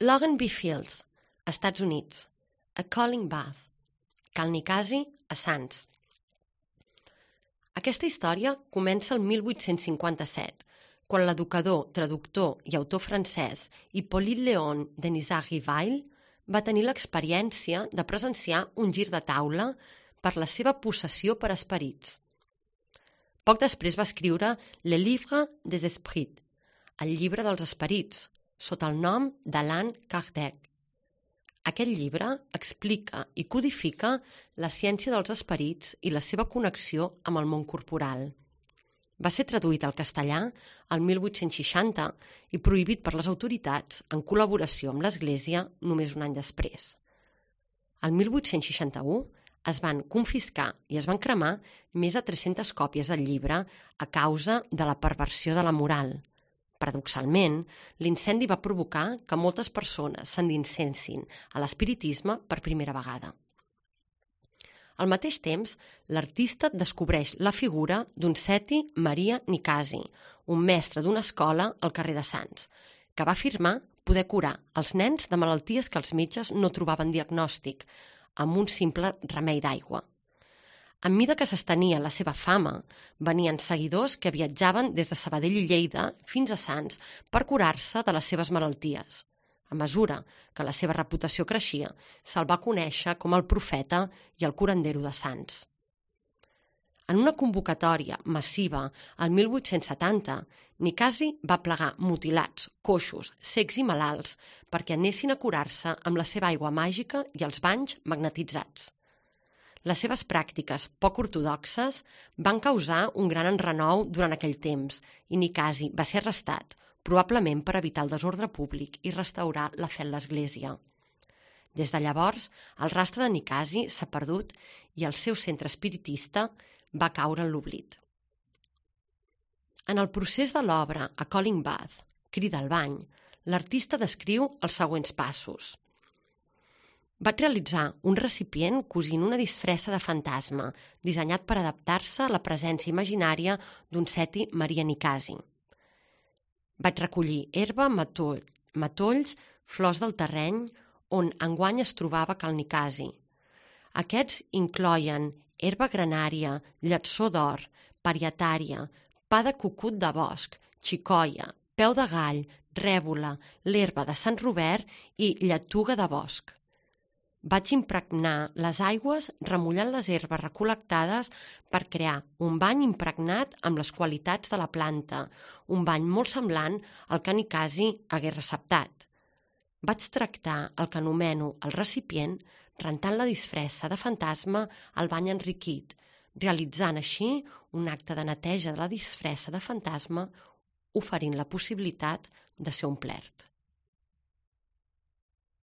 Logan B. Fields, Estats Units. A Calling Bath. Cal Nicasi, a Sants. Aquesta història comença el 1857, quan l'educador, traductor i autor francès Hippolyte Léon Denisard-Rivail va tenir l'experiència de presenciar un gir de taula per la seva possessió per esperits. Poc després va escriure Le Livre des Esprits, el llibre dels esperits, sota el nom d'Allan Kardec. Aquest llibre explica i codifica la ciència dels esperits i la seva connexió amb el món corporal. Va ser traduït al castellà el 1860 i prohibit per les autoritats en col·laboració amb l'Església només un any després. El 1861 es van confiscar i es van cremar més de 300 còpies del llibre a causa de la perversió de la moral. Paradoxalment, l'incendi va provocar que moltes persones s'endinsessin a l'espiritisme per primera vegada. Al mateix temps, l'artista descobreix la figura d'un Seti Maria Nicasi, un mestre d'una escola al carrer de Sants, que va afirmar poder curar els nens de malalties que els metges no trobaven diagnòstic, amb un simple remei d'aigua. A mesura que s'estenia la seva fama, venien seguidors que viatjaven des de Sabadell i Lleida fins a Sants per curar-se de les seves malalties. A mesura que la seva reputació creixia, se'l va conèixer com el profeta i el curandero de Sants. En una convocatòria massiva el 1870, Nicasi va plegar mutilats, coixos, cecs i malalts perquè anessin a curar-se amb la seva aigua màgica i els banys magnetitzats. Les seves pràctiques poc ortodoxes van causar un gran enrenou durant aquell temps i Nicasi va ser arrestat, probablement per evitar el desordre públic i restaurar la fe en l'Església. Des de llavors, el rastre de Nicasi s'ha perdut i el seu centre espiritista va caure en l'oblit. En el procés de l'obra A Calling Bath, Crida al bany, l'artista descriu els següents passos. Vaig realitzar un recipient cosint una disfressa de fantasma, dissenyat per adaptar-se a la presència imaginària d'un Seti Maria Nicasi. Vaig recollir herba, matolls, flors del terreny, on enguany es trobava Cal Nicasi. Aquests incloïen herba granària, lletsó d'or, parietària, pa de cucut de bosc, xicoia, peu de gall, rèbola, l'herba de Sant Robert i lletuga de bosc. Vaig impregnar les aigües remullant les herbes recol·lectades per crear un bany impregnat amb les qualitats de la planta, un bany molt semblant al que Nicasi hagués receptat. Vaig tractar el que anomeno el recipient rentant la disfressa de fantasma al bany enriquit, realitzant així un acte de neteja de la disfressa de fantasma, oferint la possibilitat de ser omplert.